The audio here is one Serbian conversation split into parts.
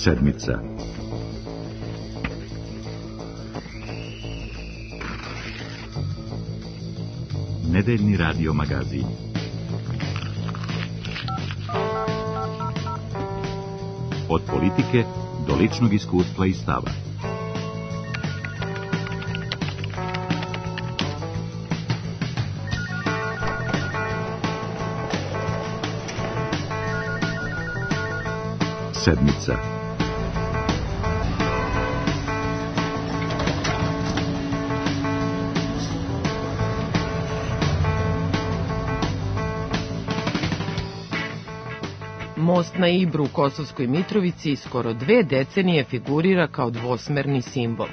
Sedmica. Nedeljni radio magazin. Od politike do ličnog iskustva i stava. Sedmica. Most na Ibru u Kosovskoj Mitrovici skoro 2 decenije figurira kao dvosmerni simbol.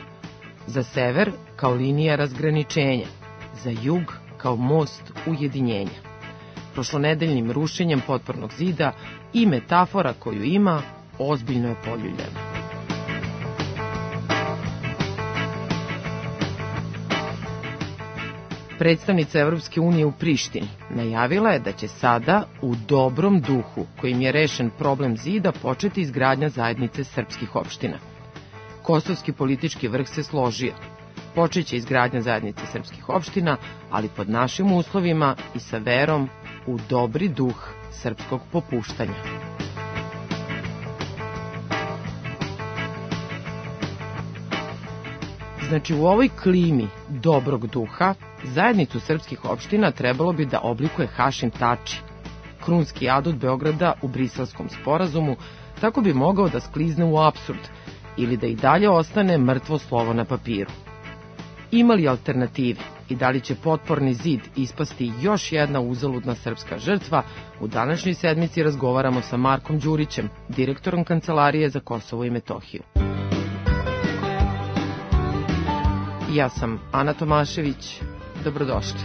Za sever kao linija razgraničenja, za jug kao most ujedinjenja. Prošlonedeljnim rušenjem potpornog zida i metafora koju ima ozbiljno je poljuljena. Predstavnica Evropske unije u Prištini najavila je da će sada, u dobrom duhu kojim je rešen problem zida, početi izgradnja zajednice srpskih opština. Kosovski politički vrh se složio. Počeće izgradnja zajednice srpskih opština, ali pod našim uslovima i sa verom u dobri duh srpskog popuštanja. Znači, u ovoj klimi dobrog duha zajednicu srpskih opština trebalo bi da oblikuje Hašim Tači, krunski adut Beograda u Briselskom sporazumu, tako bi mogao da sklizne u apsurd ili da i dalje ostane mrtvo slovo na papiru. Ima li alternative i da li će potporni zid ispasti još jedna uzaludna srpska žrtva, u današnjoj sedmici razgovaramo sa Markom Đurićem, direktorom Kancelarije za Kosovo i Metohiju. Ja sam Ana Tomašević. Dobrodošli.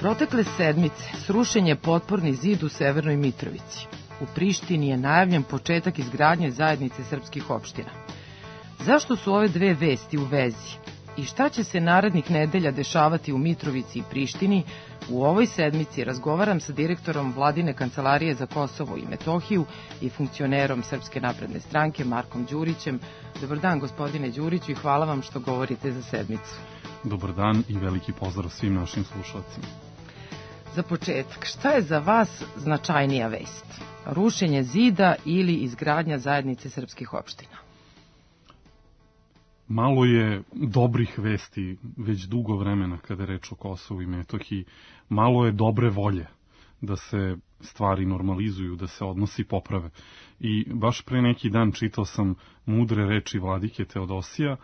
Protekle sedmice srušen je potporni zid u Severnoj Mitrovici. U Prištini je najavljen početak izgradnje zajednice srpskih opština. Zašto su ove dve vesti u vezi? I šta će se narednih nedelja dešavati u Mitrovici i Prištini? U ovoj sedmici razgovaram sa direktorom Vladine kancelarije za Kosovo i Metohiju i funkcionerom Srpske napredne stranke Markom Đurićem. Dobar dan, gospodine Đuriću, i hvala vam što govorite za sedmicu. Dobar dan i veliki pozdrav svim našim slušalcima. Za početak, šta je za vas značajnija vest? Rušenje zida ili izgradnja zajednice srpskih opština? Malo je dobrih vesti već dugo vremena kada je reč o Kosovu i Metohiji. Malo je dobre volje da se stvari normalizuju, da se odnosi poprave. I baš pre neki dan čitao sam mudre reči vladike Teodosija,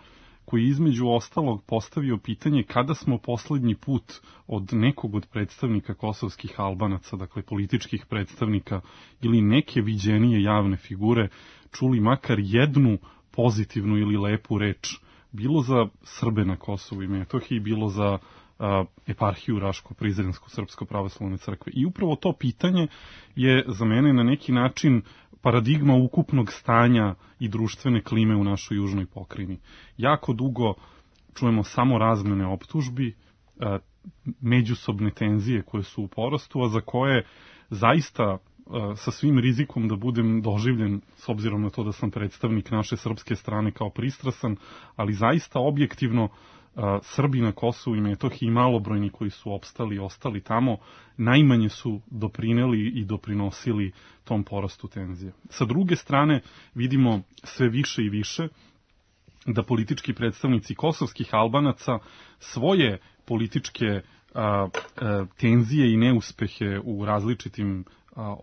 koji između ostalog postavio pitanje kada smo poslednji put od nekog od predstavnika kosovskih Albanaca, dakle političkih predstavnika ili neke viđenije javne figure, čuli makar jednu pozitivnu ili lepu reč, bilo za Srbe na Kosovu i Metohiji, bilo za eparhiju Raško-Prizrensku srpsko-pravoslavne crkve. I upravo to pitanje je za mene na neki način paradigma ukupnog stanja i društvene klime u našoj južnoj pokrajini. Jako dugo čujemo samo razmene optužbi, međusobne tenzije koje su u porastu, a za koje zaista sa svim rizikom da budem doživljen, s obzirom na to da sam predstavnik naše srpske strane, kao pristrasan, ali zaista objektivno Srbi na Kosovu i Metohiji i malobrojni koji su opstali i ostali tamo, najmanje su doprineli i doprinosili tom porastu tenzije. Sa druge strane, vidimo sve više i više da politički predstavnici kosovskih Albanaca svoje političke tenzije i neuspehe u različitim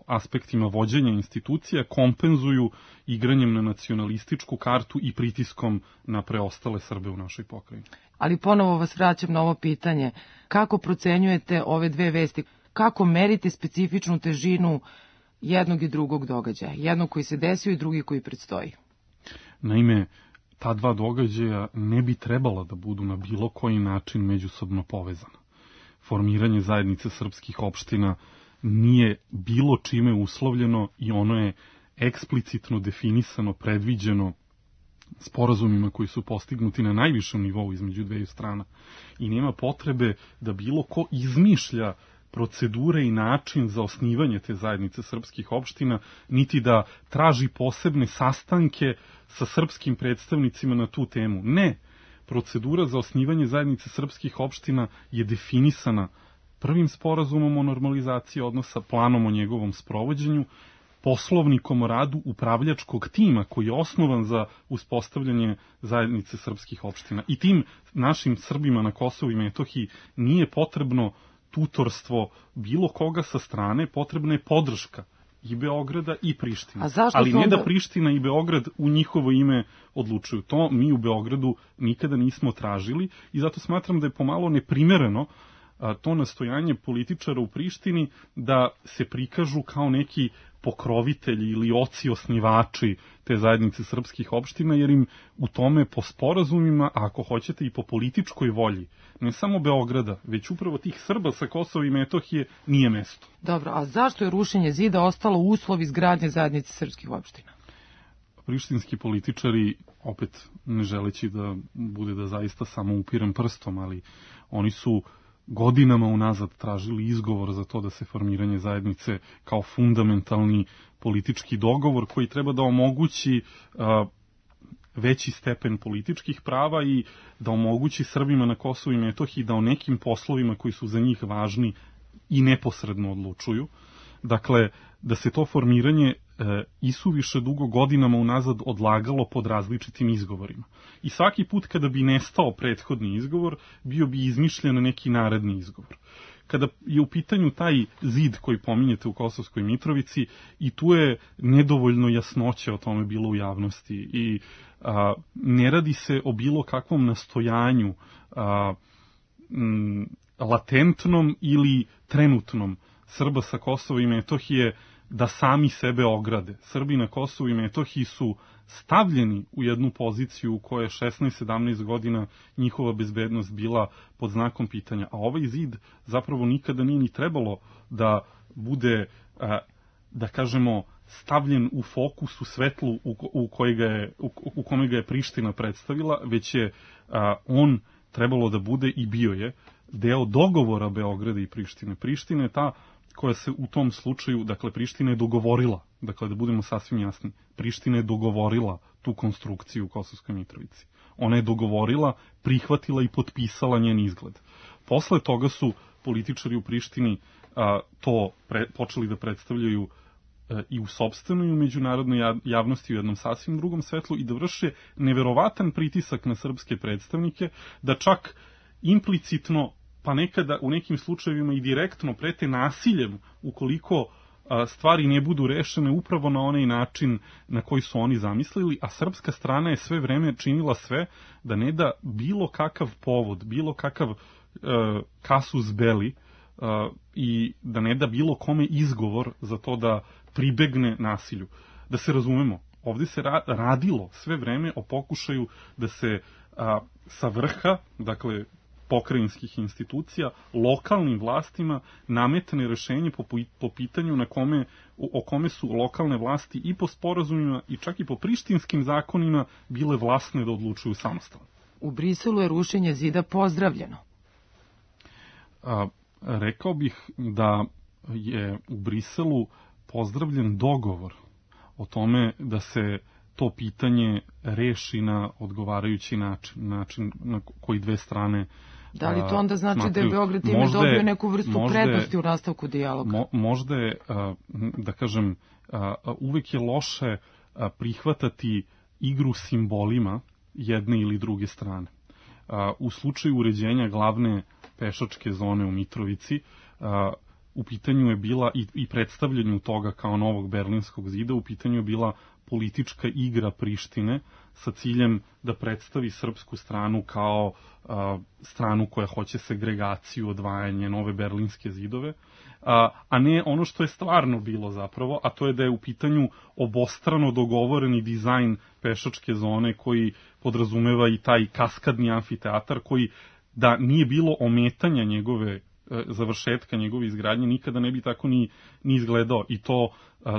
aspektima vođenja institucija kompenzuju igranjem na nacionalističku kartu i pritiskom na preostale Srbe u našoj pokrajini. Ali ponovo vas vraćam na ovo pitanje. Kako procenjujete ove dve vesti? Kako merite specifičnu težinu jednog i drugog događaja? Jednog koji se desio i drugi koji predstoji? Naime, ta dva događaja ne bi trebala da budu na bilo koji način međusobno povezana. Formiranje zajednice srpskih opština nije bilo čime uslovljeno i ono je eksplicitno definisano, predviđeno sporazumima koji su postignuti na najvišem nivou između dveju strana. I nema potrebe da bilo ko izmišlja procedure i način za osnivanje te zajednice srpskih opština, niti da traži posebne sastanke sa srpskim predstavnicima na tu temu. Ne, procedura za osnivanje zajednice srpskih opština je definisana prvim sporazumom o normalizaciji odnosa, planom o njegovom sprovođenju, poslovnikom o radu upravljačkog tima koji je osnovan za uspostavljanje zajednice srpskih opština. I tim našim Srbima na Kosovu i Metohiji nije potrebno tutorstvo bilo koga sa strane, potrebna je podrška i Beograda i Prištine. Ali ne da Priština i Beograd u njihovo ime odlučuju. To mi u Beogradu nikada nismo tražili i zato smatram da je pomalo neprimereno to nastojanje političara u Prištini da se prikažu kao neki pokrovitelji ili oci osnivači te zajednice srpskih opština, jer im u tome po sporazumima, a ako hoćete i po političkoj volji, ne samo Beograda, već upravo tih Srba sa Kosova i Metohije, nije mesto. Dobro, a zašto je rušenje zida ostalo uslov izgradnje zajednice srpskih opština? Prištinski političari, opet ne želeći da bude da zaista samo upirem prstom, ali oni su godinama unazad tražili izgovor za to da se formiranje zajednice kao fundamentalni politički dogovor koji treba da omogući veći stepen političkih prava i da omogući Srbima na Kosovu i Metohiji da o nekim poslovima koji su za njih važni i neposredno odlučuju. Dakle, da se to formiranje isuviše dugo godinama unazad odlagalo pod različitim izgovorima. I svaki put kada bi nestao prethodni izgovor, bio bi izmišljen neki naredni izgovor. Kada je u pitanju taj zid koji pominjete u Kosovskoj Mitrovici, i tu je nedovoljno jasnoće o tome bilo u javnosti i ne radi se o bilo kakvom nastojanju latentnom ili trenutnom Srba sa Kosova i Metohije da sami sebe ograde. Srbi na Kosovu i Metohiji su stavljeni u jednu poziciju u kojoj je 16-17 godina njihova bezbednost bila pod znakom pitanja. A ovaj zid zapravo nikada nije ni trebalo da bude, da kažemo, stavljen u fokus, u svetlu u kome ga je Priština predstavila, već je on trebalo da bude i bio je deo dogovora Beograda i Prištine. Priština je ta koja se u tom slučaju, dakle Priština je dogovorila, dakle da budemo sasvim jasni, Priština je dogovorila tu konstrukciju u Kosovskoj Mitrovici. Ona je dogovorila, prihvatila i potpisala njen izgled. Posle toga su političari u Prištini to počeli da predstavljaju i u sopstvenoj i u međunarodnoj javnosti u jednom sasvim drugom svetlu i da vrše neverovatan pritisak na srpske predstavnike, da čak implicitno, pa nekada u nekim slučajevima i direktno prete nasiljem ukoliko stvari ne budu rešene upravo na onaj način na koji su oni zamislili, a srpska strana je sve vreme činila sve da ne da bilo kakav povod, bilo kakav casus belli i da ne da bilo kome izgovor za to da pribegne nasilju. Da se razumemo, ovdje se radilo sve vreme o pokušaju da se sa vrha, dakle pokrajinskih institucija, lokalnim vlastima nametne rešenje po pitanju o kome su lokalne vlasti i po sporazumima i čak i po prištinskim zakonima bile vlasne da odlučuju samostalno. U Briselu je rušenje zida pozdravljeno. Rekao bih da je u Briselu pozdravljen dogovor o tome da se to pitanje reši na odgovarajući način na koji dve strane da li to onda znači da je Beograd time dobio neku vrstu prednosti u nastavku dijaloga? Možda je, da kažem, uvek je loše prihvatati igru simbolima jedne ili druge strane. U slučaju uređenja glavne pešačke zone u Mitrovici, u pitanju je bila i predstavljanju toga kao novog Berlinskog zida, u pitanju je bila politička igra Prištine sa ciljem da predstavi srpsku stranu kao stranu koja hoće segregaciju, odvajanje, nove berlinske zidove, a ne ono što je stvarno bilo zapravo, a to je da je u pitanju obostrano dogovoreni dizajn pešačke zone koji podrazumeva i taj kaskadni amfiteatar koji da nije bilo ometanja završetka njegove izgradnje, nikada ne bi tako ni izgledao. I to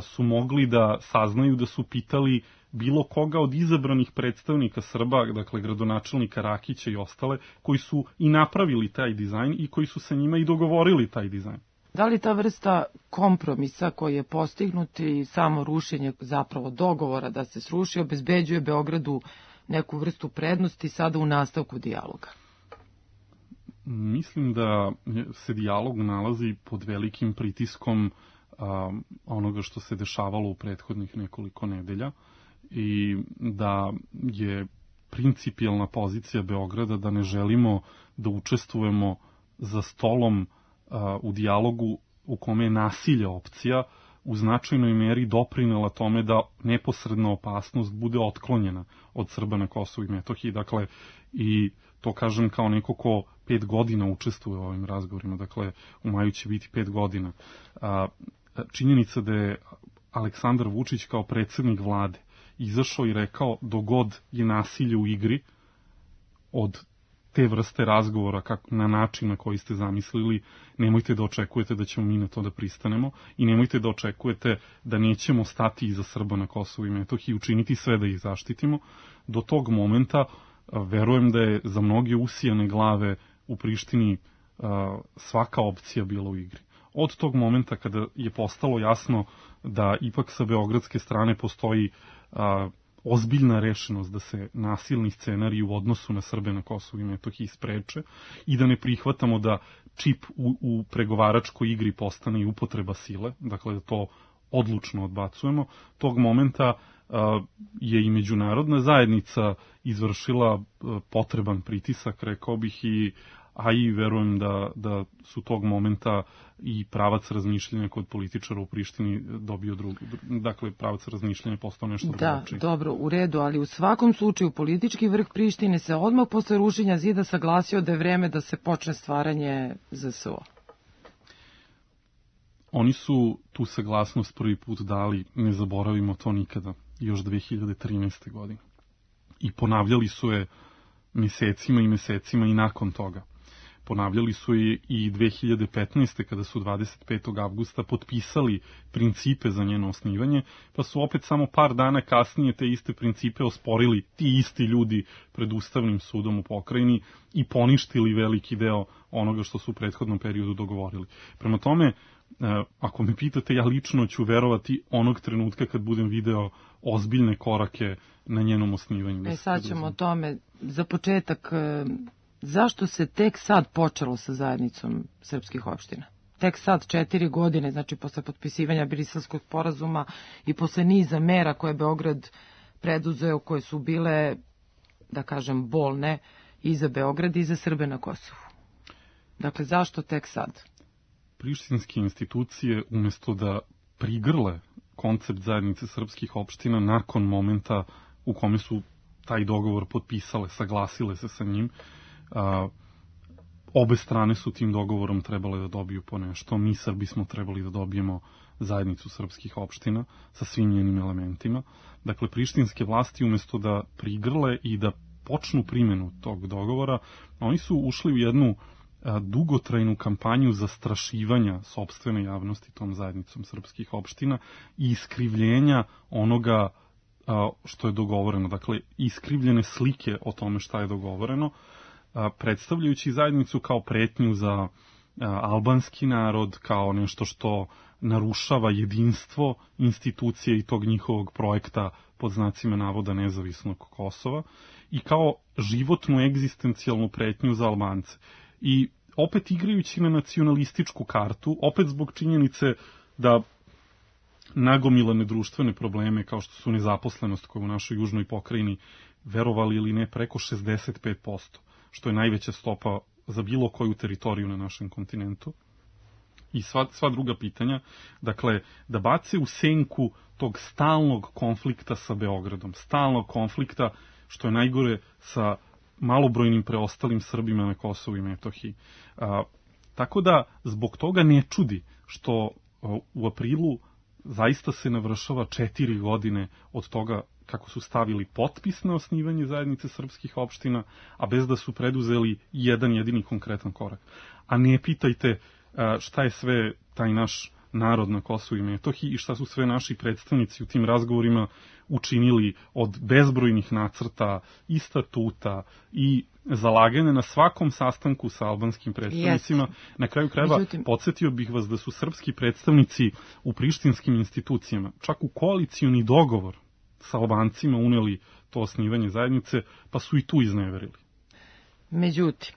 su mogli da saznaju da su pitali bilo koga od izabranih predstavnika Srba, dakle gradonačelnika Rakića i ostale, koji su i napravili taj dizajn i koji su sa njima i dogovorili taj dizajn. Da li ta vrsta kompromisa koji je postignut i samo rušenje zapravo dogovora da se sruši obezbeđuje Beogradu neku vrstu prednosti sada u nastavku dijaloga? Mislim da se dijalog nalazi pod velikim pritiskom onoga što se dešavalo u prethodnih nekoliko nedelja i da je principijelna pozicija Beograda da ne želimo da učestvujemo za stolom u dijalogu u kome je nasilje opcija, u značajnoj meri doprinela tome da neposredna opasnost bude otklonjena od Srba na Kosovu i Metohiji. Dakle, i to kažem kao neko ko 5 godina učestvuje u ovim razgovorima, dakle u maju će biti 5 godina. Činjenica da je Aleksandar Vučić kao predsjednik vlade izašao i rekao dogod je nasilje u igri od te vrste razgovora na način na koji ste zamislili, nemojte da očekujete da ćemo mi na to da pristanemo i nemojte da očekujete da nećemo stati iza Srba na Kosovu i Metohiji i učiniti sve da ih zaštitimo. Do tog momenta verujem da je za mnoge usijane glave u Prištini svaka opcija bila u igri. Od tog momenta kada je postalo jasno da ipak sa beogradske strane postoji ozbiljna rešenost da se nasilni scenariji u odnosu na Srbe na Kosovu i Metohiji spreče i da ne prihvatamo da čip u pregovaračkoj igri postane i upotreba sile, dakle da to odlučno odbacujemo, tog momenta je i međunarodna zajednica izvršila potreban pritisak, rekao bih, a i verujem da su tog momenta i pravac razmišljanja kod političara u Prištini dobio drugi. Dakle, pravac razmišljanja postao nešto drugačije. Da, dobro, u redu, ali u svakom slučaju politički vrh Prištine se odmah posle rušenja zida saglasio da je vreme da se počne stvaranje ZSO. Oni su tu saglasnost prvi put dali, ne zaboravimo to nikada, još 2013. godine. I ponavljali su je mesecima i mesecima i nakon toga. ponavljali su i 2015. kada su 25. avgusta potpisali principe za njeno osnivanje, pa su opet samo par dana kasnije te iste principe osporili ti isti ljudi pred Ustavnim sudom u pokrajini i poništili veliki deo onoga što su u prethodnom periodu dogovorili. Prema tome, ako me pitate, ja lično ću verovati onog trenutka kad budem video ozbiljne korake na njenom osnivanju. Sad ćemo o tome. Za početak, zašto se tek sad počelo sa zajednicom srpskih opština? Tek sad 4 godine, znači posle potpisivanja Briselskog sporazuma i posle niza mera koje je Beograd preduzeo, koje su bile, da kažem, bolne i za Beograd i za Srbe na Kosovu. Dakle, zašto tek sad? Prištinske institucije, umjesto da prigrle koncept zajednice srpskih opština nakon momenta u kome su taj dogovor potpisale, saglasile se sa njim, obe strane su tim dogovorom trebale da dobiju po nešto. Mi Srbi smo trebali da dobijemo zajednicu srpskih opština sa svim njenim elementima. Dakle, prištinske vlasti umjesto da prigrle i da počnu primjenu tog dogovora, oni su ušli u jednu dugotrajnu kampanju zastrašivanja sopstvene javnosti tom zajednicom srpskih opština i iskrivljenja onoga što je dogovoreno. Dakle, iskrivljene slike o tome šta je dogovoreno, predstavljajući zajednicu kao pretnju za albanski narod, kao nešto što narušava jedinstvo institucije i tog njihovog projekta pod znacima navoda nezavisnog Kosova i kao životnu egzistencijalnu pretnju za Albance. I opet igrajući na nacionalističku kartu, opet zbog činjenice da nagomilane društvene probleme kao što su nezaposlenost koja u našoj južnoj pokrajini, verovali ili ne, preko 65%, što je najveća stopa za bilo koju teritoriju na našem kontinentu. I sva druga pitanja, dakle, da bace u senku tog stalnog konflikta sa Beogradom, stalnog konflikta, što je najgore, sa malobrojnim preostalim Srbima na Kosovu i Metohiji. Tako da, zbog toga ne čudi što u aprilu zaista se navršava 4 godine od toga kako su stavili potpis na osnivanje zajednice srpskih opština, a bez da su preduzeli jedan jedini konkretan korak. A ne pitajte šta je sve taj naš narod na Kosovu i Metohiji i šta su sve naši predstavnici u tim razgovorima učinili od bezbrojnih nacrta i statuta i zalaganja na svakom sastanku sa albanskim predstavnicima. Na kraju krajeva, podsjetio bih vas da su srpski predstavnici u prištinskim institucijama čak u koalicioni dogovor sa Albancima uneli to osnivanje zajednice, pa su i tu izneverili. Međutim,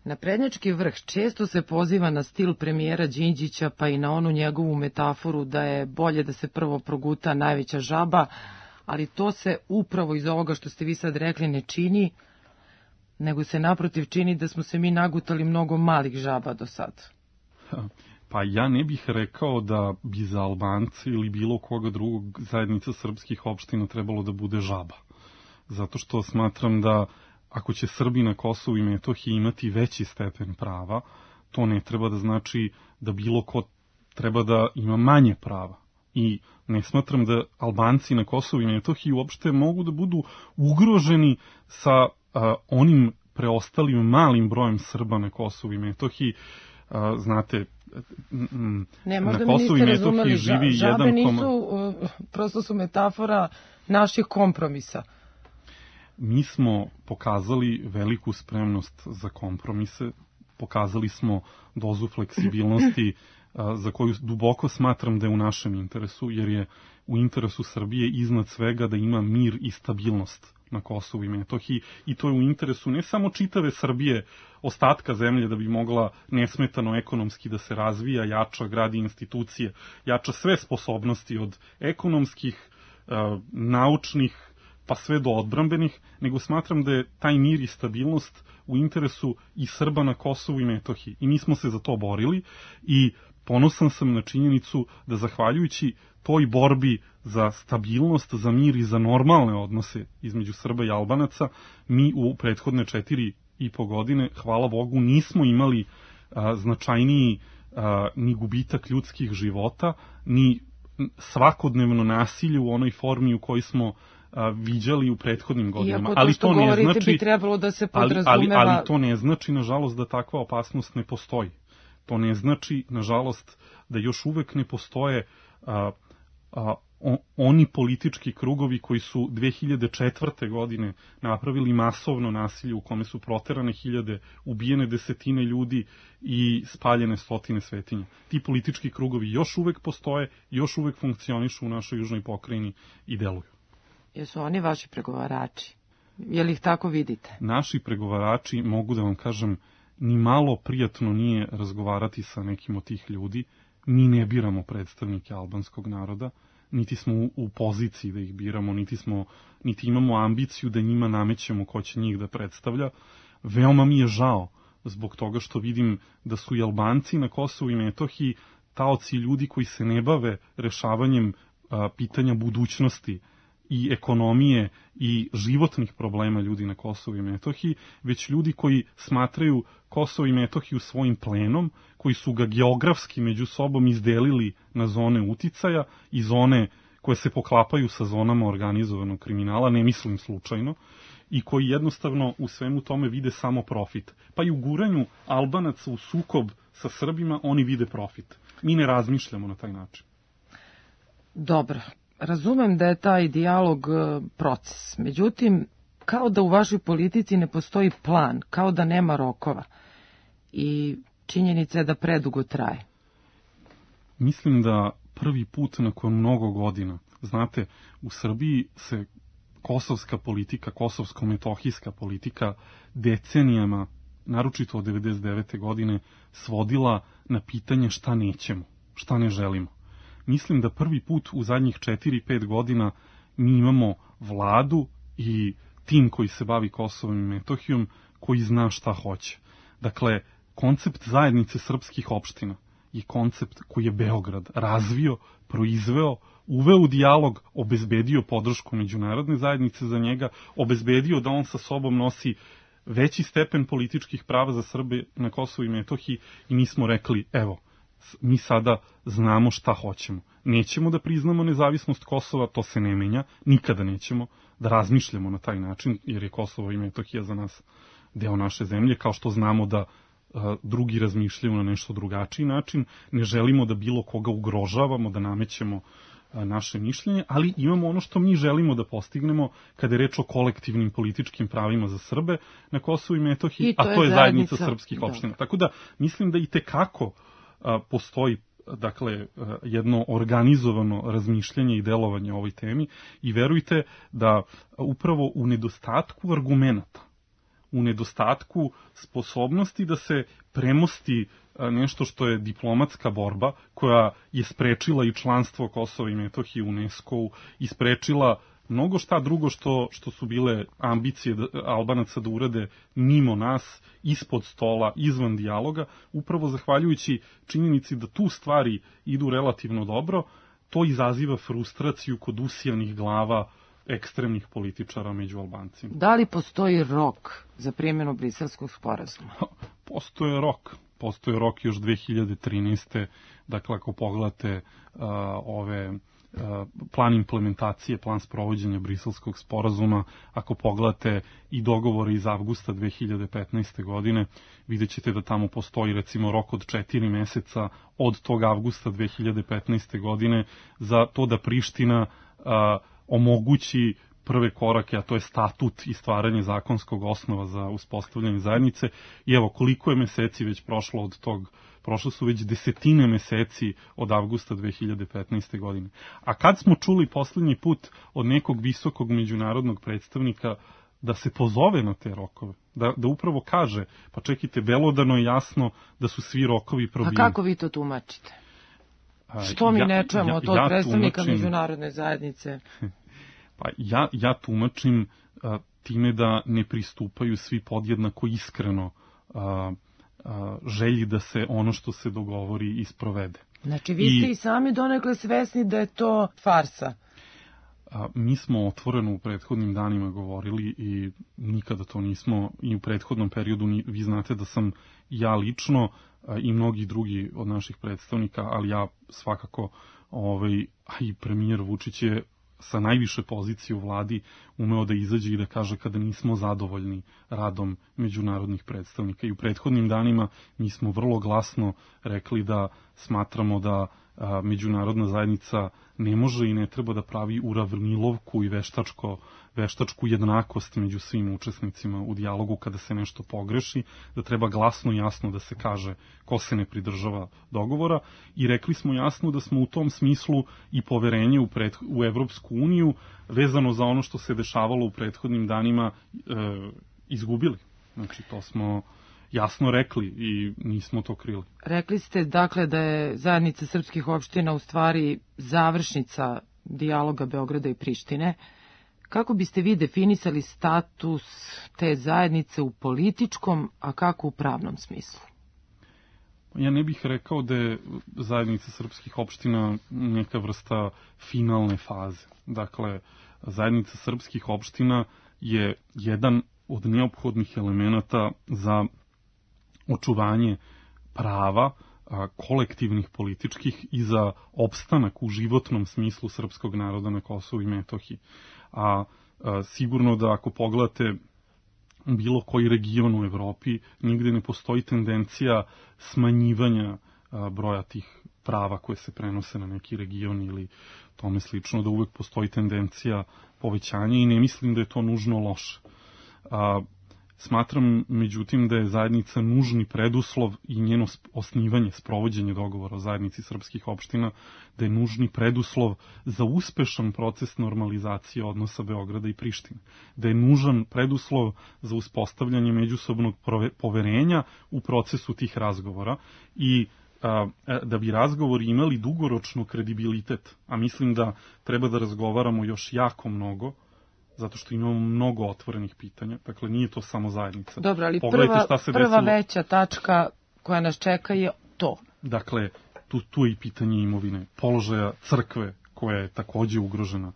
naprednjački vrh često se poziva na stil premijera Đinđića, pa i na onu njegovu metaforu da je bolje da se prvo proguta najveća žaba, ali to se upravo iz ovoga što ste vi sad rekli ne čini, nego se naprotiv čini da smo se mi nagutali mnogo malih žaba do sad. Pa ja ne bih rekao da bi za Albance ili bilo koga drugog zajednica srpskih opština trebalo da bude žaba. Zato što smatram da ako će Srbi na Kosovu i Metohiji imati veći stepen prava, to ne treba da znači da bilo ko treba da ima manje prava. I ne smatram da Albanci na Kosovu i Metohiji uopšte mogu da budu ugroženi sa onim preostalim malim brojem Srba na Kosovu i Metohiji. Znate, na Kosovu i Metohiji živi žabe nisu, prosto su metafora naših kompromisa. Mi smo pokazali veliku spremnost za kompromise, pokazali smo dozu fleksibilnosti za koju duboko smatram da je u našem interesu, jer je u interesu Srbije iznad svega da ima mir i stabilnost na Kosovu i Metohiji i to je u interesu ne samo čitave Srbije, ostatka zemlje da bi mogla nesmetano ekonomski da se razvija, jača, gradi institucije, jača sve sposobnosti od ekonomskih, naučnih, pa sve do odbrambenih, nego smatram da je taj mir i stabilnost u interesu i Srba na Kosovu i Metohiji. I mi smo se za to borili i ponosan sam na činjenicu da zahvaljujući toj borbi za stabilnost, za mir i za normalne odnose između Srba i Albanaca, mi u prethodne 4,5 godine, hvala Bogu, nismo imali značajniji ni gubitak ljudskih života, ni svakodnevno nasilje u onoj formi u kojoj smo viđali u prethodnim godinama. Iako to što govorite bi trebalo da se podrazumeva... Ali to ne znači, nažalost, da takva opasnost ne postoji. To ne znači, nažalost, da još uvek ne postoje oni politički krugovi koji su 2004. godine napravili masovno nasilje u kome su proterane hiljade, ubijene desetine ljudi i spaljene stotine svetinja. Ti politički krugovi još uvek postoje, još uvek funkcionišu u našoj južnoj pokrajini i deluju. Jesu oni vaši pregovarači? Je li ih tako vidite? Naši pregovarači, mogu da vam kažem, ni malo prijatno nije razgovarati sa nekim od tih ljudi. Mi ne biramo predstavnike albanskog naroda, niti smo u poziciji da ih biramo, niti imamo ambiciju da njima namećemo ko će njih da predstavlja. Veoma mi je žao zbog toga što vidim da su i Albanci na Kosovu i Metohiji taoci ljudi koji se ne bave rešavanjem pitanja budućnosti i ekonomije i životnih problema ljudi na Kosovu i Metohiji, već ljudi koji smatraju Kosovo i Metohiju svojim plenom, koji su ga geografski među sobom izdelili na zone uticaja i zone koje se poklapaju sa zonama organizovanog kriminala, ne mislim slučajno, i koji jednostavno u svemu tome vide samo profit. Pa i u guranju Albanaca u sukob sa Srbima oni vide profit. Mi ne razmišljamo na taj način. Dobro. Razumem da je taj dijalog proces, međutim, kao da u vašoj politici ne postoji plan, kao da nema rokova i činjenica je da predugo traje. Mislim da prvi put nakon mnogo godina, znate, u Srbiji se kosovska politika, kosovsko-metohijska politika decenijama, naročito od 1999. godine, svodila na pitanje šta nećemo, šta ne želimo. Mislim da prvi put u zadnjih 4-5 godina mi imamo vladu i tim koji se bavi Kosovom i Metohijom koji zna šta hoće. Dakle, koncept zajednice srpskih opština je koncept koji je Beograd razvio, proizveo, uveo u dijalog, obezbedio podršku međunarodne zajednice za njega, obezbedio da on sa sobom nosi veći stepen političkih prava za Srbe na Kosovu i Metohiji i mi smo rekli, evo, mi sada znamo šta hoćemo. Nećemo da priznamo nezavisnost Kosova, to se ne menja, nikada nećemo da razmišljamo na taj način, jer je Kosovo i Metohija za nas deo naše zemlje, kao što znamo da drugi razmišljaju na nešto drugačiji način, ne želimo da bilo koga ugrožavamo, da namećemo naše mišljenje, ali imamo ono što mi želimo da postignemo kada je reč o kolektivnim političkim pravima za Srbe na Kosovu i Metohiji, a to je zajednica srpskih opština. Tako da mislim da i tekako postoji dakle jedno organizovano razmišljanje i delovanje o ovoj temi i verujte da upravo u nedostatku argumenata, u nedostatku sposobnosti da se premosti nešto što je diplomatska borba koja je sprečila i članstvo Kosova i Metohije u UNESCO-u i sprečila mnogo šta drugo što su bile ambicije Albanaca da urade mimo nas, ispod stola, izvan dijaloga, upravo zahvaljujući činjenici da tu stvari idu relativno dobro, to izaziva frustraciju kod usijanih glava ekstremnih političara među Albancima. Da li postoji rok za primjenu Briselskog sporazuma? Postoje rok još 2013. Dakle, ako pogledate plan implementacije, plan sprovođenja Briselskog sporazuma, ako pogledate i dogovore iz avgusta 2015. godine, vidjet ćete da tamo postoji recimo rok od 4 meseca od tog avgusta 2015. godine za to da Priština omogući prve korake, a to je statut i stvaranje zakonskog osnova za uspostavljanje zajednice. I evo, koliko je meseci već prošlo od tog, prošlo su već desetine meseci od avgusta 2015. godine. A kad smo čuli poslednji put od nekog visokog međunarodnog predstavnika da se pozove na te rokove, da upravo kaže, pa čekajte, belodano je jasno da su svi rokovi probijeni. A kako vi to tumačite? Što mi ne čujemo od predstavnika međunarodne zajednice? Pa ja tumačim time da ne pristupaju svi podjednako iskreno želji da se ono što se dogovori isprovede. Znači vi ste i sami donekle svesni da je to farsa. Mi smo otvoreno u prethodnim danima govorili i nikada to nismo i u prethodnom periodu, vi znate da sam ja lično i mnogi drugi od naših predstavnika, ali ja svakako, a i premijer Vučić je sa najviše pozicije u vladi umeo da izađe i da kaže kada nismo zadovoljni radom međunarodnih predstavnika. I u prethodnim danima mi smo vrlo glasno rekli da smatramo da međunarodna zajednica ne može i ne treba da pravi uravnilovku i veštačku jednakost među svim učesnicima u dijalogu kada se nešto pogreši, da treba glasno i jasno da se kaže ko se ne pridržava dogovora, i rekli smo jasno da smo u tom smislu i poverenje u Evropsku uniju vezano za ono što se dešavalo u prethodnim danima izgubili. Znači, to smo jasno rekli i nismo to krili. Rekli ste, dakle, da je zajednica srpskih opština u stvari završnica dijaloga Beograda i Prištine. Kako biste vi definisali status te zajednice u političkom, a kako u pravnom smislu? Ja ne bih rekao da je zajednica srpskih opština neka vrsta finalne faze. Dakle, zajednica srpskih opština je jedan od neophodnih elemenata za očuvanje prava kolektivnih političkih i za opstanak u životnom smislu srpskog naroda na Kosovu i Metohiji. A sigurno da ako pogledate bilo koji region u Evropi, nigde ne postoji tendencija smanjivanja broja tih prava koje se prenose na neki region ili tome slično, da uvek postoji tendencija povećanja i ne mislim da je to nužno loše. Smatram, međutim, da je zajednica nužni preduslov i njeno osnivanje, sprovođenje dogovora o zajednici srpskih opština, da je nužni preduslov za uspešan proces normalizacije odnosa Beograda i Prištine. Da je nužan preduslov za uspostavljanje međusobnog poverenja u procesu tih razgovora i da bi razgovori imali dugoročno kredibilitet, a mislim da treba da razgovaramo još jako mnogo, zato što imamo mnogo otvorenih pitanja. Dakle, nije to samo zajednica. Dobro, ali prva veća tačka koja nas čeka je to. Dakle, tu je i pitanje imovine, položaja crkve koja je takođe ugrožena,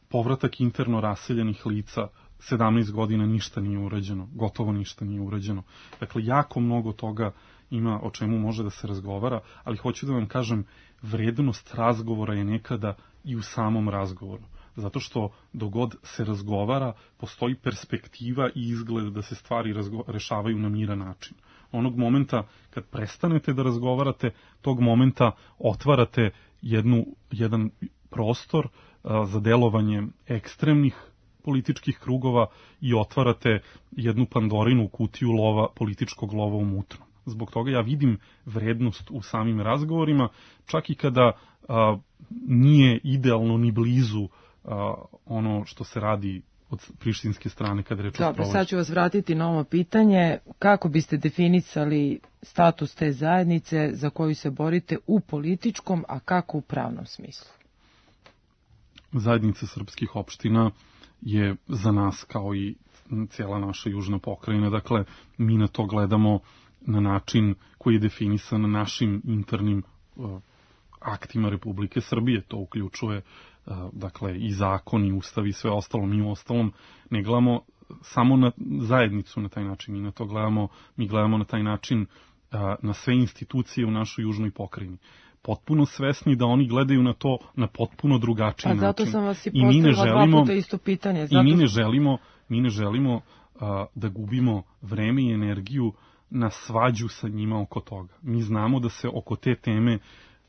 povratak interno raseljenih lica, 17 godina ništa nije urađeno, gotovo ništa nije urađeno. Dakle, jako mnogo toga ima o čemu može da se razgovara, ali hoću da vam kažem, vrednost razgovora je nekada i u samom razgovoru. Zato što dogod se razgovara, postoji perspektiva i izgled da se stvari rešavaju na miran način. Onog momenta kad prestanete da razgovarate, tog momenta otvarate jedan prostor za delovanje ekstremnih političkih krugova i otvarate jednu Pandorinu kutiju političkog lova u mutnom. Zbog toga ja vidim vrednost u samim razgovorima, čak i kada nije idealno ni blizu ono što se radi od prištinske strane kada reč o sprovođenju. Dobro, sad ću vas vratiti na ovo pitanje. Kako biste definisali status te zajednice za koju se borite u političkom, a kako u pravnom smislu? Zajednica srpskih opština je za nas kao i cijela naša južna pokrajina. Dakle, mi na to gledamo na način koji je definisan našim internim aktima Republike Srbije. To uključuje dakle i zakon i ustav i sve ostalo. Mi u ostalom ne gledamo samo na zajednicu na taj način, mi gledamo na taj način na sve institucije u našoj južnoj pokrajini. Potpuno svesni da oni gledaju na to na potpuno drugačiji način. A zato sam vas i postavila dva puta isto pitanje. I mi ne želimo da gubimo vreme i energiju na svađu sa njima oko toga. Mi znamo da se oko te teme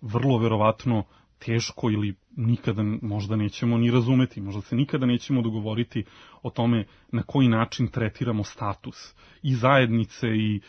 vrlo verovatno teško ili nikada možda nećemo ni razumeti, možda se nikada nećemo dogovoriti o tome na koji način tretiramo status i zajednice i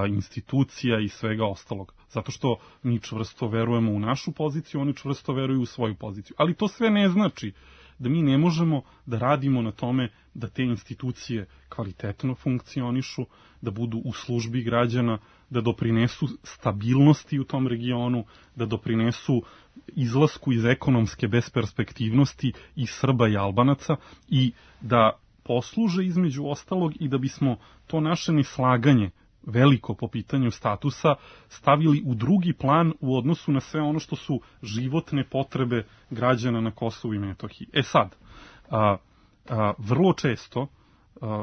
institucija i svega ostalog. Zato što mi čvrsto verujemo u našu poziciju, oni čvrsto veruju u svoju poziciju. Ali to sve ne znači da mi ne možemo da radimo na tome da te institucije kvalitetno funkcionišu, da budu u službi građana, da doprinesu stabilnosti u tom regionu, da doprinesu izlasku iz ekonomske besperspektivnosti i Srba i Albanaca i da posluže između ostalog i da bismo to naše neslaganje veliko po pitanju statusa stavili u drugi plan u odnosu na sve ono što su životne potrebe građana na Kosovu i Metohiji. Sad, vrlo često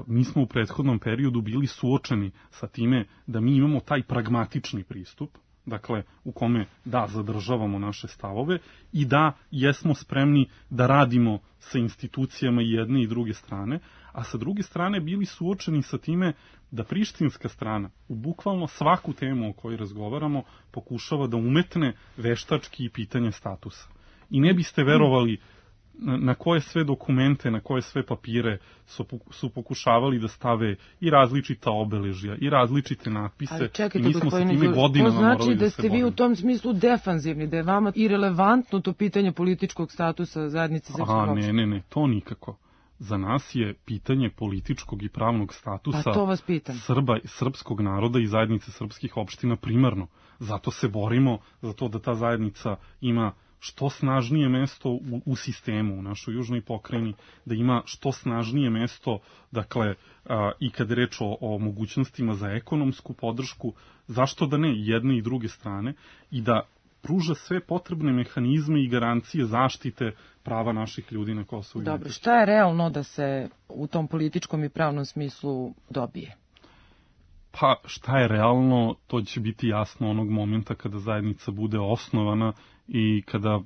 mi smo u prethodnom periodu bili suočeni sa time da mi imamo taj pragmatični pristup, dakle u kome da zadržavamo naše stavove i da jesmo spremni da radimo sa institucijama i jedne i druge strane, a sa druge strane bili suočeni sa time da prištinska strana u bukvalno svaku temu o kojoj razgovaramo pokušava da umetne veštački pitanje statusa. I ne biste verovali na koje sve dokumente, na koje sve papire su pokušavali da stave i različita obeležja, i različite natpise. Ali čekajte, i mi smo sa time gospodine, godinama to znači morali da se ste vi borimo. u tom smislu defanzivni, da je vama irelevantno to pitanje političkog statusa zajednice srpskih opština? Ne, to nikako. Za nas je pitanje političkog i pravnog statusa Pa to vas pitam. Srba, srpskog naroda i zajednice srpskih opština primarno. Zato se borimo za to da ta zajednica ima što snažnije mesto u sistemu, u našoj južnoj pokrajini, da ima što snažnije mesto, dakle, i kad je reč o mogućnostima za ekonomsku podršku, zašto da ne, jedne i druge strane, i da pruža sve potrebne mehanizme i garancije zaštite prava naših ljudi na Kosovu i Metohiji. Dobro, šta je realno da se u tom političkom i pravnom smislu dobije? Pa šta je realno, to će biti jasno onog momenta kada zajednica bude osnovana i kada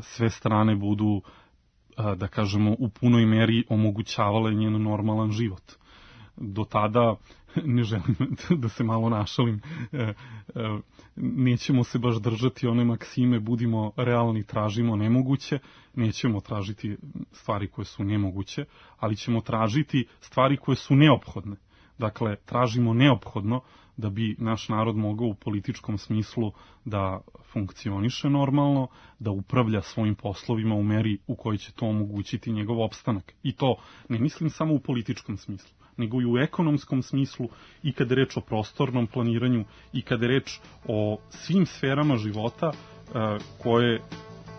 sve strane budu, da kažemo, u punoj meri omogućavale njen normalan život. Do tada, ne želim da se malo našalim, nećemo se baš držati one maksime budimo realni, tražimo nemoguće, nećemo tražiti stvari koje su nemoguće, ali ćemo tražiti stvari koje su neophodne. Dakle, tražimo neophodno da bi naš narod mogao u političkom smislu da funkcioniše normalno, da upravlja svojim poslovima u meri u kojoj će to omogućiti njegov opstanak. I to ne mislim samo u političkom smislu, nego i u ekonomskom smislu, i kada je reč o prostornom planiranju, i kada je reč o svim sferama života koje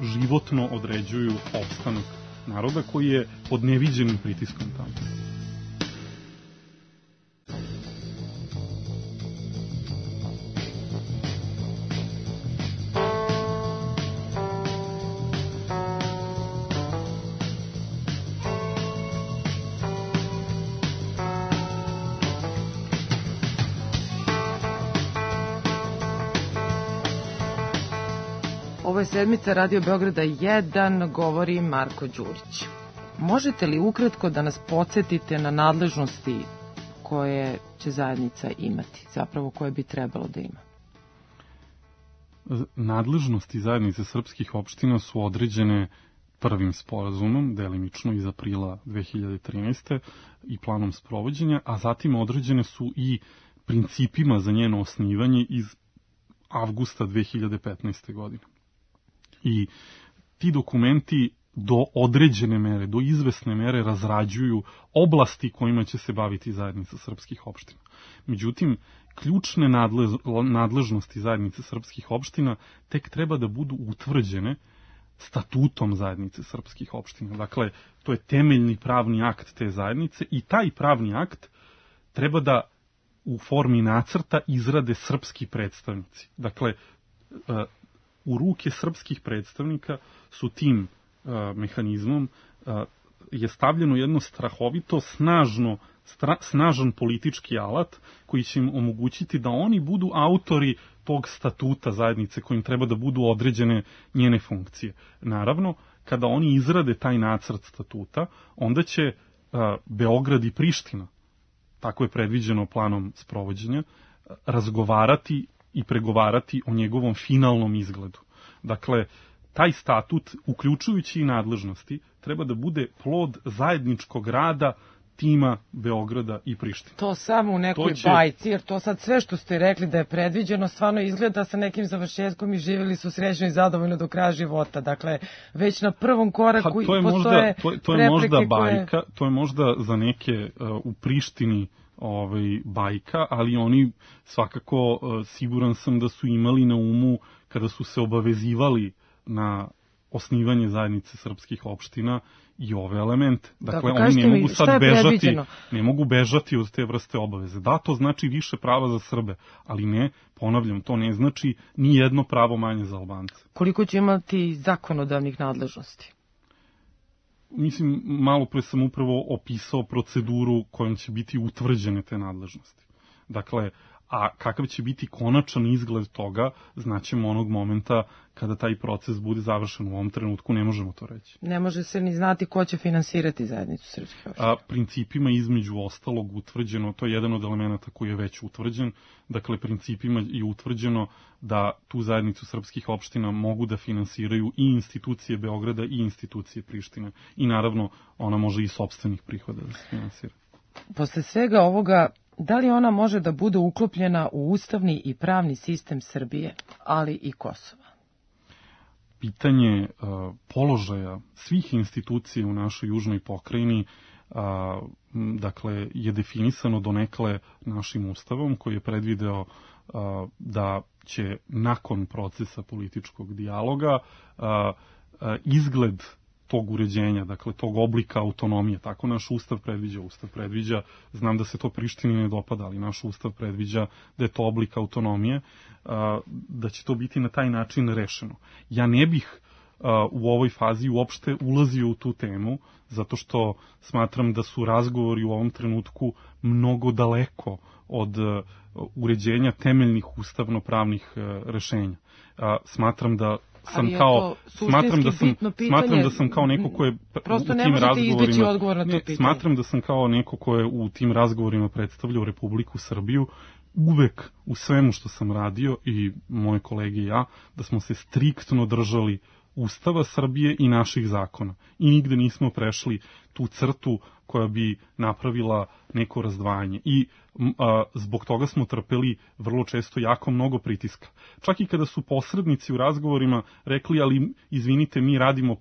životno određuju opstanak naroda koji je pod neviđenim pritiskom tamo. Ovo je sedmica Radio Beograda 1, govori Marko Đurić. Možete li ukratko da nas podsjetite na nadležnosti koje će zajednica imati, zapravo koje bi trebalo da ima? Nadležnosti zajednice srpskih opština su određene prvim sporazumom, delimično iz aprila 2013. i planom sprovođenja, a zatim određene su i principima za njeno osnivanje iz avgusta 2015. godine. I ti dokumenti do određene mere, do izvesne mere razrađuju oblasti kojima će se baviti zajednica srpskih opština. Međutim, ključne nadležnosti zajednice srpskih opština tek treba da budu utvrđene statutom zajednice srpskih opština. Dakle, to je temeljni pravni akt te zajednice i taj pravni akt treba da u formi nacrta izrade srpski predstavnici. Dakle, u ruke srpskih predstavnika su tim mehanizmom je stavljeno jedno strahovito snažan politički alat koji će im omogućiti da oni budu autori tog statuta zajednice kojim treba da budu određene njene funkcije. Naravno, kada oni izrade taj nacrt statuta, onda će Beograd i Priština, tako je predviđeno planom sprovođenja, razgovarati i pregovarati o njegovom finalnom izgledu. Dakle, taj statut, uključujući i nadležnosti, treba da bude plod zajedničkog rada tima Beograda i Prištine. To samo u nekoj bajci, jer to sad sve što ste rekli da je predviđeno, stvarno izgleda sa nekim završetkom i živjeli su srećno i zadovoljno do kraja života. Dakle, već na prvom koraku postoje prepreke bajka, to je možda za neke u Prištini bajka, ali oni svakako, siguran sam da su imali na umu kada su se obavezivali na osnivanje zajednice srpskih opština i ove elemente. Dakle, oni ne mogu sad ne mogu bežati od te vrste obaveze. Da, to znači više prava za Srbe, ali ne, ponavljam, to ne znači ni jedno pravo manje za Albance. Koliko će imati zakonodavnih nadležnosti? Mislim, malo pre sam upravo opisao proceduru kojom će biti utvrđene te nadležnosti. Dakle, a kakav će biti konačan izgled toga, znaćemo onog momenta kada taj proces bude završen. U ovom trenutku ne možemo to reći. Ne može se ni znati ko će finansirati zajednicu srpskih opština. Principima između ostalog utvrđeno, to je jedan od elemenata koji je već utvrđen, dakle principima je utvrđeno da tu zajednicu srpskih opština mogu da finansiraju i institucije Beograda i institucije Prištine. I naravno ona može i sopstvenih prihoda da se finansira. Posle svega ovoga, da li ona može da bude uklopljena u ustavni i pravni sistem Srbije, ali i Kosova? Pitanje položaja svih institucija u našoj južnoj pokrajini dakle, je definisano donekle našim ustavom koji je predvideo da će nakon procesa političkog dijaloga izgled tog uređenja, dakle tog oblika autonomije, tako naš ustav predviđa, znam da se to Prištini ne dopada, ali naš ustav predviđa da je to oblik autonomije, da će to biti na taj način rešeno. Ja ne bih u ovoj fazi uopšte ulazio u tu temu, zato što smatram da su razgovori u ovom trenutku mnogo daleko od uređenja temeljnih ustavno-pravnih rešenja. Smatram da sam kao neko ko je prosto ne možete izbeći odgovor na to pitanje. Smatram da sam kao neko ko je u tim razgovorima predstavljao Republiku Srbiju uvek u svemu što sam radio i moje kolege i ja, da smo se striktno držali Ustava Srbije i naših zakona. I nigde nismo prešli tu crtu koja bi napravila neko razdvajanje. I zbog toga smo trpeli vrlo često jako mnogo pritiska. Čak i kada su posrednici u razgovorima rekli, ali izvinite, mi radimo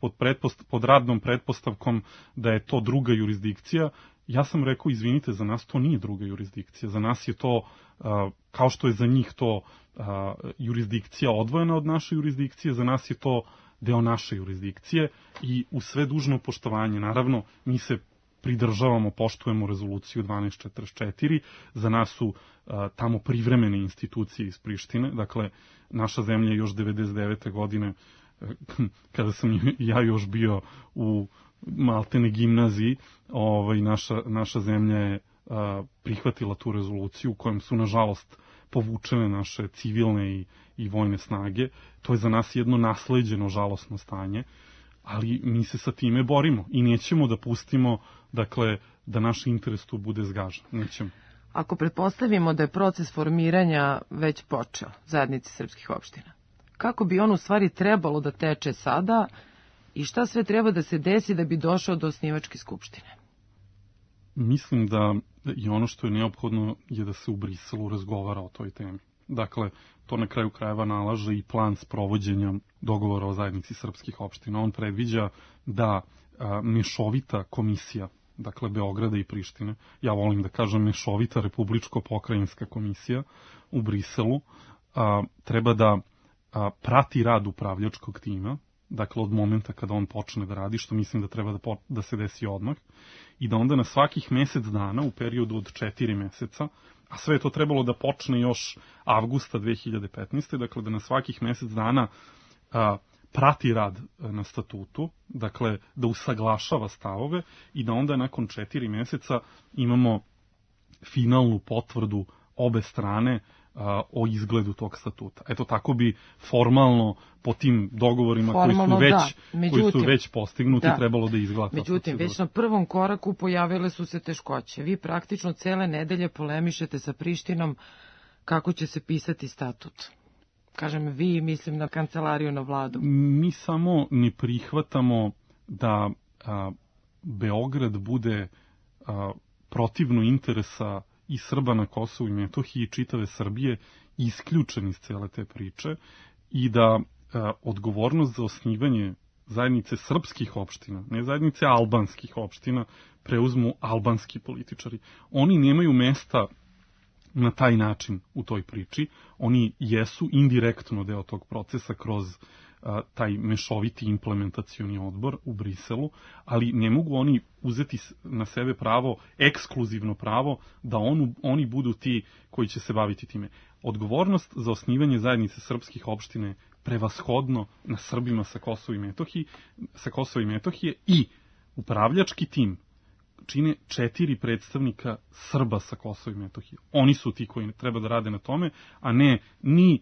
pod radnom pretpostavkom da je to druga jurisdikcija, ja sam rekao, izvinite, za nas to nije druga jurisdikcija. Za nas je to, kao što je za njih to jurisdikcija odvojena od naše jurisdikcije, za nas je to deo naše jurisdikcije i u sve dužno poštovanje, naravno, mi se pridržavamo, poštujemo rezoluciju 1244, za nas su tamo privremene institucije iz Prištine, dakle, naša zemlja je još 99. godine, kada sam ja još bio u maltene gimnaziji, naša zemlja je prihvatila tu rezoluciju u kojem su, nažalost, povučene naše civilne i vojne snage. To je za nas jedno nasleđeno žalosno stanje, ali mi se sa time borimo i nećemo da pustimo, dakle, da naš interes tu bude zgažen. Nećemo. Ako pretpostavimo da je proces formiranja već počeo zajednici srpskih opština, kako bi on u stvari trebalo da teče sada i šta sve treba da se desi da bi došao do osnivačke skupštine? Mislim da i ono što je neophodno je da se u Briselu razgovara o toj temi. Dakle, to na kraju krajeva nalaže i plan sprovođenja dogovora o zajednici srpskih opština. On predviđa da mešovita komisija, dakle Beograda i Prištine, ja volim da kažem mešovita republičko-pokrajinska komisija u Briselu, treba da prati rad upravljačkog tima, dakle od momenta kada on počne da radi, što mislim da treba da se desi odmah, i da onda na svakih mesec dana, u periodu od 4 meseca, a sve je to trebalo da počne još avgusta 2015. Dakle, da na svakih mesec dana prati rad na statutu, dakle, da usaglašava stavove i da onda nakon 4 meseca imamo finalnu potvrdu obe strane o izgledu tog statuta. Eto, tako bi formalno po tim dogovorima koji su već postignuti trebalo da izgleda. Međutim, već na prvom koraku pojavile su se teškoće. Vi praktično cele nedelje polemišete sa Prištinom kako će se pisati statut. Kažem vi, mislim na kancelariju, na vladu. Mi samo ne prihvatamo da Beograd bude protivno interesa i Srba na Kosovu i Metohiji i čitave Srbije isključen iz cele te priče i da odgovornost za osnivanje zajednice srpskih opština, ne zajednice albanskih opština, preuzmu albanski političari. Oni nemaju mesta na taj način u toj priči. Oni jesu indirektno deo tog procesa kroz taj mešoviti implementacioni odbor u Briselu, ali ne mogu oni uzeti na sebe pravo, ekskluzivno pravo, da oni budu ti koji će se baviti time. Odgovornost za osnivanje zajednice srpskih opština je prevashodno na Srbima sa Kosova i Metohije i upravljački tim čine 4 predstavnika Srba sa Kosova i Metohije. Oni su ti koji treba da rade na tome, a ne ni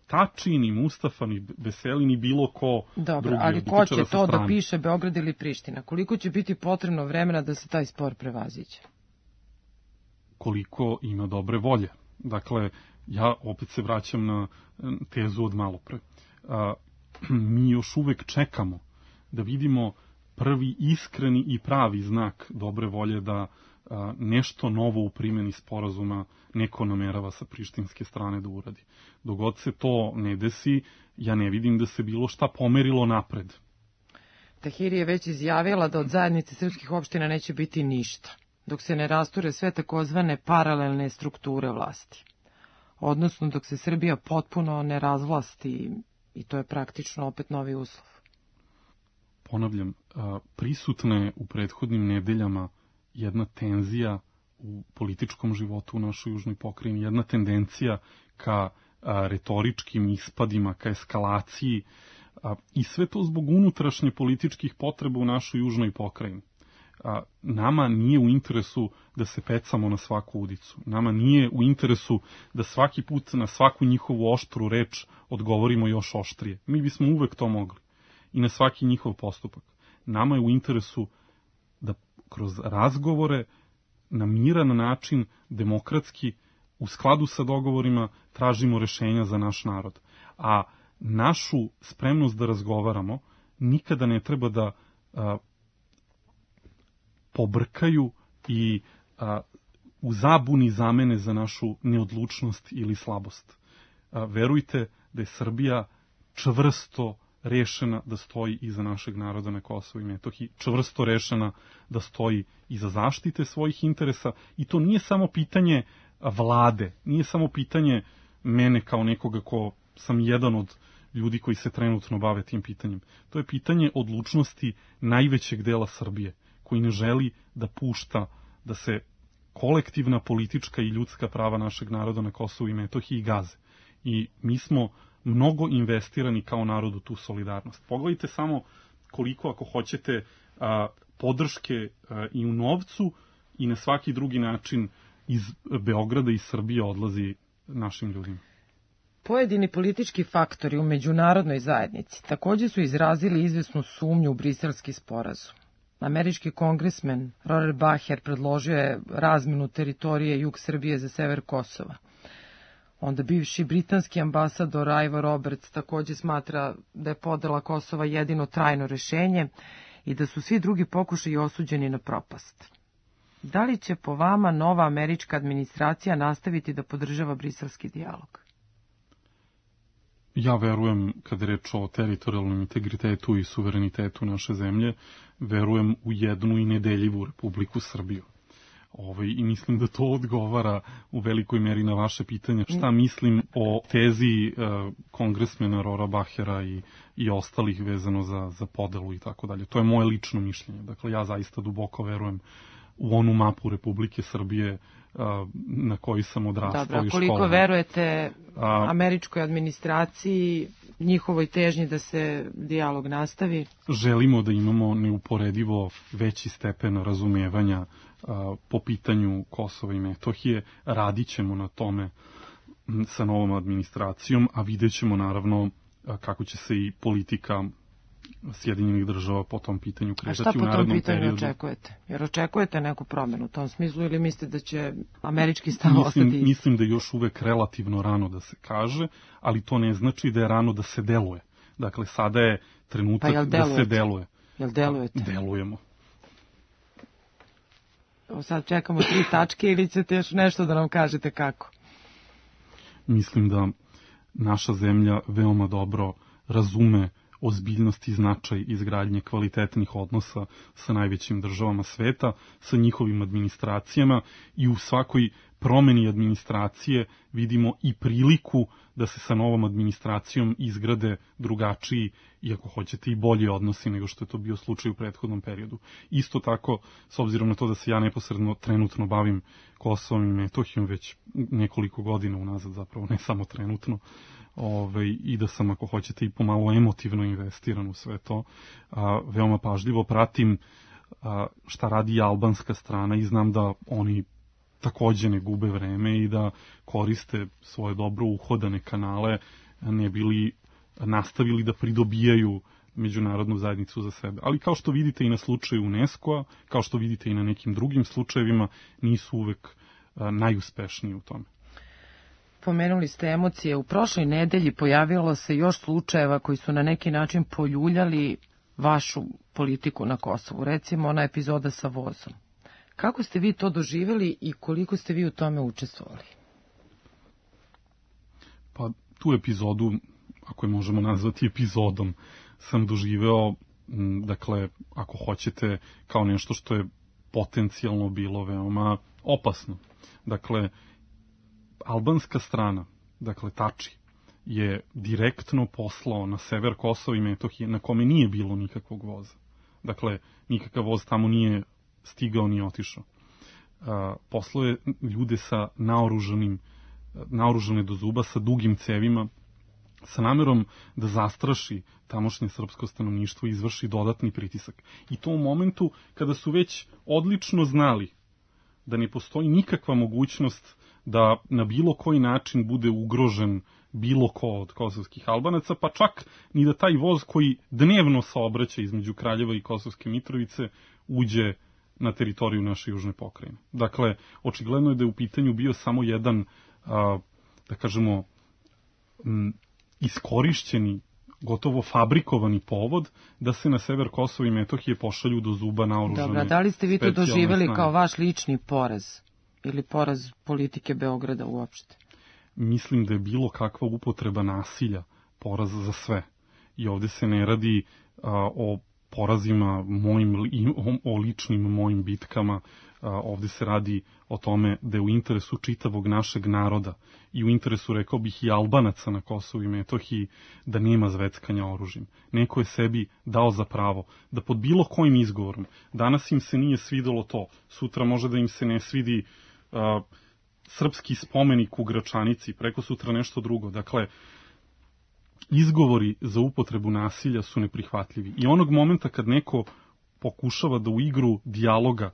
Tači, ni Mustafa, ni Veseli, ni bilo ko Dobro, drugi. ali ko će to da piše, Beograd ili Priština? Koliko će biti potrebno vremena da se taj spor prevaziđe? Koliko ima dobre volje. Dakle, ja opet se vraćam na tezu od malopre. Mi još uvek čekamo da vidimo prvi iskreni i pravi znak dobre volje da nešto novo u primjeni sporazuma neko namerava sa prištinske strane da uradi. Dok god se to ne desi, ja ne vidim da se bilo šta pomerilo napred. Tahiri je već izjavila da od zajednice srpskih opština neće biti ništa, dok se ne rasture sve takozvane paralelne strukture vlasti. Odnosno dok se Srbija potpuno ne razvlasti, i to je praktično opet novi uslov. Ponavljam, prisutna je u prethodnim nedeljama jedna tenzija u političkom životu u našoj južnoj pokrajini, jedna tendencija ka retoričkim ispadima, ka eskalaciji, i sve to zbog unutrašnje političkih potreba u našoj južnoj pokrajini. Nama nije u interesu da se pecamo na svaku udicu. Nama nije u interesu da svaki put na svaku njihovu oštru reč odgovorimo još oštrije. Mi bismo uvek to mogli. I na svaki njihov postupak. Nama je u interesu da kroz razgovore na miran način, demokratski, u skladu sa dogovorima, tražimo rešenja za naš narod. A našu spremnost da razgovaramo nikada ne treba da pobrkaju i u zabuni zamene za našu neodlučnost ili slabost. Verujte da je Srbija čvrsto rešena da stoji iza našeg naroda na Kosovu i Metohiji, čvrsto rešena da stoji iza zaštite svojih interesa, i to nije samo pitanje vlade, nije samo pitanje mene kao nekoga ko sam jedan od ljudi koji se trenutno bave tim pitanjem. To je pitanje odlučnosti najvećeg dela Srbije, koji ne želi da pušta da se kolektivna politička i ljudska prava našeg naroda na Kosovu i Metohiji gaze. I mi smo mnogo investirani kao narod u tu solidarnost. Pogledajte samo koliko, ako hoćete, podrške i u novcu i na svaki drugi način iz Beograda i Srbije odlazi našim ljudima. Pojedini politički faktori u međunarodnoj zajednici također su izrazili izvesnu sumnju u briselski sporazum. Američki kongresmen Rorer Baher predložio je razmenu teritorije jug Srbije za sever Kosova. Onda bivši britanski ambasador Ivo Roberts također smatra da je podela Kosova jedino trajno rešenje i da su svi drugi pokušaji osuđeni na propast. Da li će po vama nova američka administracija nastaviti da podržava briselski dijalog? Ja verujem, kada je reč o teritorijalnom integritetu i suverenitetu naše zemlje, verujem u jednu i nedeljivu Republiku Srbiju. I mislim da to odgovara u velikoj meri na vaše pitanje. Šta mislim o tezi kongresmena Rora Bahera i ostalih vezano za podelu i tako dalje. To je moje lično mišljenje. Dakle, ja zaista duboko verujem u onu mapu Republike Srbije na koji sam odrastao i školovao. Dobro, koliko verujete američkoj administraciji, njihovoj težnji da se dijalog nastavi? Želimo da imamo neuporedivo veći stepen razumevanja po pitanju Kosova i Metohije. Radit ćemo na tome sa novom administracijom, a vidjet ćemo naravno kako će se i politika Sjedinjenih država po tom pitanju kretati u narednom periodu. A šta po tom pitanju očekujete? Jer očekujete neku promjenu u tom smislu ili mislite da će američki stav ostati? Mislim da je još uvek relativno rano da se kaže, ali to ne znači da je rano da se deluje. Dakle, sada je trenutak da se deluje. Jel delujete? Delujemo. Sad čekamo 3 tačke ili ćete još nešto da nam kažete kako? Mislim da naša zemlja veoma dobro razume ozbiljnost i značaj izgradnje kvalitetnih odnosa sa najvećim državama sveta, sa njihovim administracijama, i u svakoj promeni administracije vidimo i priliku da se sa novom administracijom izgrade drugačiji i, ako hoćete, i bolji odnosi nego što je to bio slučaj u prethodnom periodu. Isto tako, s obzirom na to da se ja neposredno trenutno bavim Kosovom i Metohijom već nekoliko godina unazad, zapravo ne samo trenutno, i da sam, ako hoćete, i pomalo emotivno investiran u sve to, veoma pažljivo pratim šta radi i albanska strana i znam da oni takođe ne gube vreme i da koriste svoje dobro uhodane kanale, ne bili nastavili da pridobijaju međunarodnu zajednicu za sebe. Ali kao što vidite i na slučaju UNESCO-a, kao što vidite i na nekim drugim slučajevima, nisu uvek najuspešniji u tome. Pomenuli ste emocije. U prošloj nedelji pojavilo se još slučajeva koji su na neki način poljuljali vašu politiku na Kosovu. Recimo ona epizoda sa vozom. Kako ste vi to doživjeli i koliko ste vi u tome učestvovali? Pa tu epizodu, ako je možemo nazvati epizodom, sam doživeo, dakle, ako hoćete, kao nešto što je potencijalno bilo veoma opasno. Dakle, albanska strana, dakle Tači, je direktno poslao na sever Kosova i Metohije, na kome nije bilo nikakvog voza. Dakle, nikakav voz tamo nije stigao ni otišao. Poslao je ljude sa naoružane do zuba, sa dugim cevima, sa namerom da zastraši tamošnje srpsko stanovništvo i izvrši dodatni pritisak. I to u momentu kada su već odlično znali da ne postoji nikakva mogućnost da na bilo koji način bude ugrožen bilo ko od kosovskih Albanaca, pa čak ni da taj voz koji dnevno saobraća između Kraljeva i Kosovske Mitrovice uđe na teritoriju naše južne pokrajine. Dakle, očigledno je da je u pitanju bio samo jedan, da kažemo, iskorišćeni, gotovo fabrikovani povod da se na sever Kosova i Metohije pošalju do zuba naoružane. Dobro, da li ste vi to doživjeli kao vaš lični poraz ili poraz politike Beograda uopšte? Mislim da je bilo kakva upotreba nasilja poraz za sve. I ovde se ne radi o porazima o ličnim mojim bitkama, ovde se radi o tome da je u interesu čitavog našeg naroda i u interesu, rekao bih, i Albanaca na Kosovu i Metohiji da nema zveckanja oružjem. Neko je sebi dao za pravo da pod bilo kojim izgovorom, danas im se nije svidelo to, sutra može da im se ne svidi srpski spomenik u Gračanici, preko sutra nešto drugo. Dakle, izgovori za upotrebu nasilja su neprihvatljivi. I onog momenta kad neko pokušava da u igru dijaloga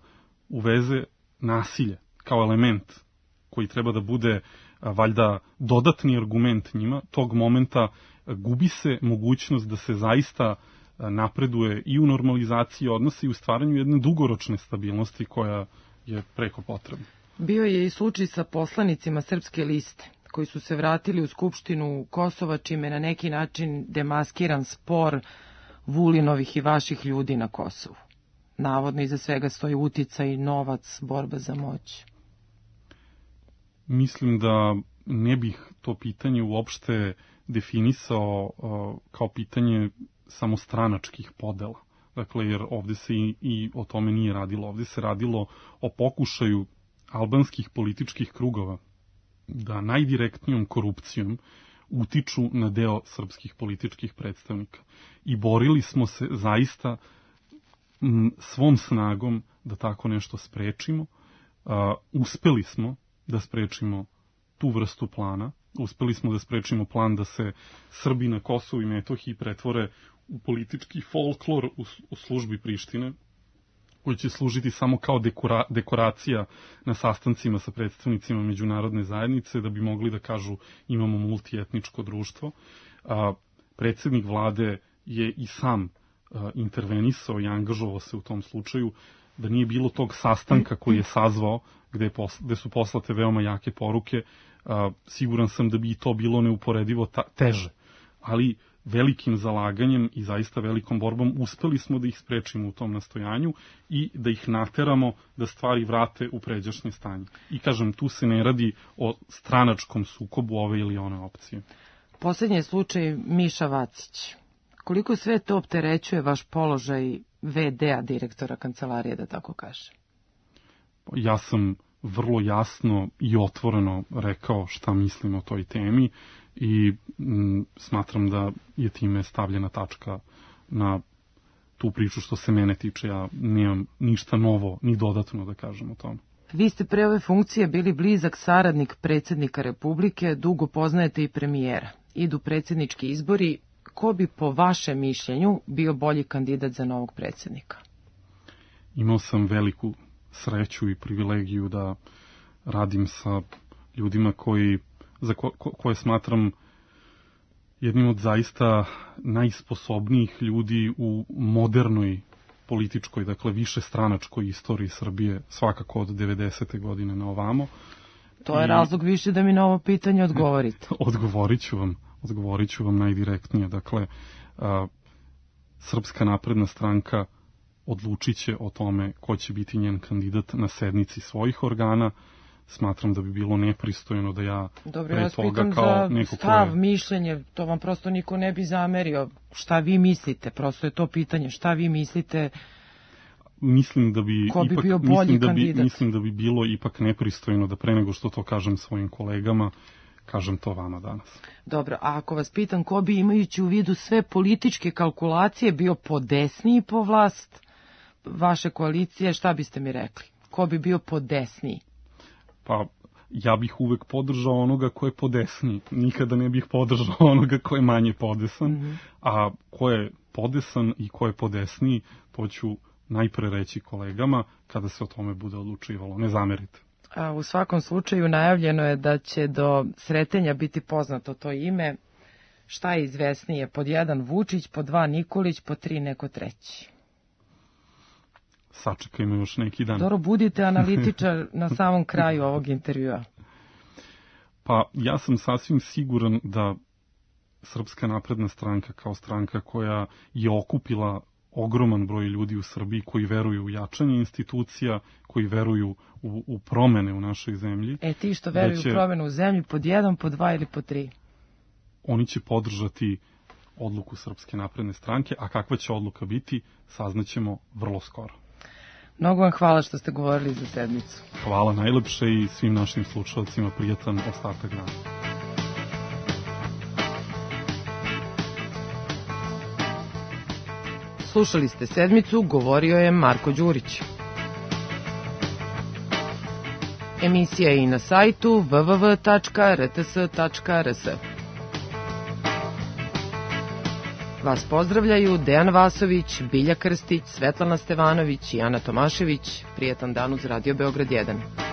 uveze nasilje kao element koji treba da bude valjda dodatni argument njima, tog momenta gubi se mogućnost da se zaista napreduje i u normalizaciji odnosa i u stvaranju jedne dugoročne stabilnosti koja je preko potrebna. Bio je i slučaj sa poslanicima Srpske liste, koji su se vratili u Skupštinu Kosova, čime na neki način demaskiran spor Vulinovih i vaših ljudi na Kosovu. Navodno iza svega stoji uticaj, novac, borba za moć. Mislim da ne bih to pitanje uopšte definisao kao pitanje samostranačkih podela. Dakle, jer ovde se i o tome nije radilo. Ovde se radilo o pokušaju albanskih političkih krugova da najdirektnijom korupcijom utiču na deo srpskih političkih predstavnika. I borili smo se zaista svom snagom da tako nešto sprečimo. Uspeli smo da sprečimo tu vrstu plana. Uspeli smo da sprečimo plan da se Srbi na Kosovu i Metohiji pretvore u politički folklor u službi Prištine, koji će služiti samo kao dekoracija na sastancima sa predstavnicima međunarodne zajednice, da bi mogli da kažu imamo multietničko društvo. Predsjednik vlade je i sam intervenisao i angažovao se u tom slučaju, da nije bilo tog sastanka koji je sazvao, gde su poslate veoma jake poruke, siguran sam da bi i to bilo neuporedivo teže. Ali velikim zalaganjem i zaista velikom borbom uspeli smo da ih sprečimo u tom nastojanju i da ih nateramo da stvari vrate u pređašnje stanje. I kažem, tu se ne radi o stranačkom sukobu ove ili one opcije. Poslednji je slučaj Miša Vacić. Koliko sve to opterećuje vaš položaj VD-a, direktora kancelarije, da tako kaže? Ja sam vrlo jasno i otvoreno rekao šta mislim o toj temi i smatram da je time stavljena tačka na tu priču što se mene tiče. Ja nemam ništa novo ni dodatno da kažem o tome. Vi ste pre ove funkcije bili blizak saradnik predsjednika Republike, dugo poznajete i premijera. Idu predsjednički izbori, ko bi po vašem mišljenju bio bolji kandidat za novog predsjednika? imao sam veliku sreću i privilegiju da radim sa ljudima koje smatram jednim od zaista najsposobnijih ljudi u modernoj političkoj, dakle višestranačkoj istoriji Srbije, svakako od 90. godine na ovamo. To je razlog više da mi na ovo pitanje odgovorite. Odgovorit ću vam najdirektnije. Dakle, Srpska napredna stranka odlučit će o tome ko će biti njen kandidat na sednici svojih organa. Smatram da bi bilo nepristojno da ja pre toga kao neko stav, mišljenje, to vam prosto niko ne bi zamerio. Šta vi mislite? Prosto je to pitanje. Šta vi mislite? Mislim da bi ko bi bio bolji kandidat? Mislim da bi bilo ipak nepristojno da pre nego što to kažem svojim kolegama, kažem to vama danas. Dobro, a ako vas pitam ko bi, imajući u vidu sve političke kalkulacije, bio podesniji po vlast vaše koalicije, šta biste mi rekli? Ko bi bio podesniji? Pa, ja bih uvek podržao onoga ko je podesniji. Nikada ne bih podržao onoga ko je manje podesan. A ko je podesan i ko je podesniji, to ću najpre reći kolegama kada se o tome bude odlučivalo. Ne zamerite. A u svakom slučaju najavljeno je da će do Sretenja biti poznato to ime. Šta je izvesnije? Pod 1 Vučić, pod 2 Nikolić, pod 3 neko treći. Sačekajmo još neki dan. Dobro, budite analitičar na samom kraju ovog intervjua. Pa ja sam sasvim siguran da Srpska napredna stranka kao stranka koja je okupila ogroman broj ljudi u Srbiji koji veruju u jačanje institucija, koji veruju u promene u našoj zemlji. Ti što veruju u promene u zemlji, pod 1, pod 2 ili pod 3? Oni će podržati odluku Srpske napredne stranke, a kakva će odluka biti, saznaćemo vrlo skoro. Mnogo vam hvala što ste govorili za sedmicu. Hvala najlepše i svim našim slušalcima prijatan ostatak dana. Slušali ste sedmicu, govorio je Marko Đurić. Emisija je i na sajtu www.rts.rs. Vas pozdravljaju Dejan Vasović, Bilja Krstić, Svetlana Stevanović i Ana Tomašević. Prijetan dan uz Radio Beograd 1.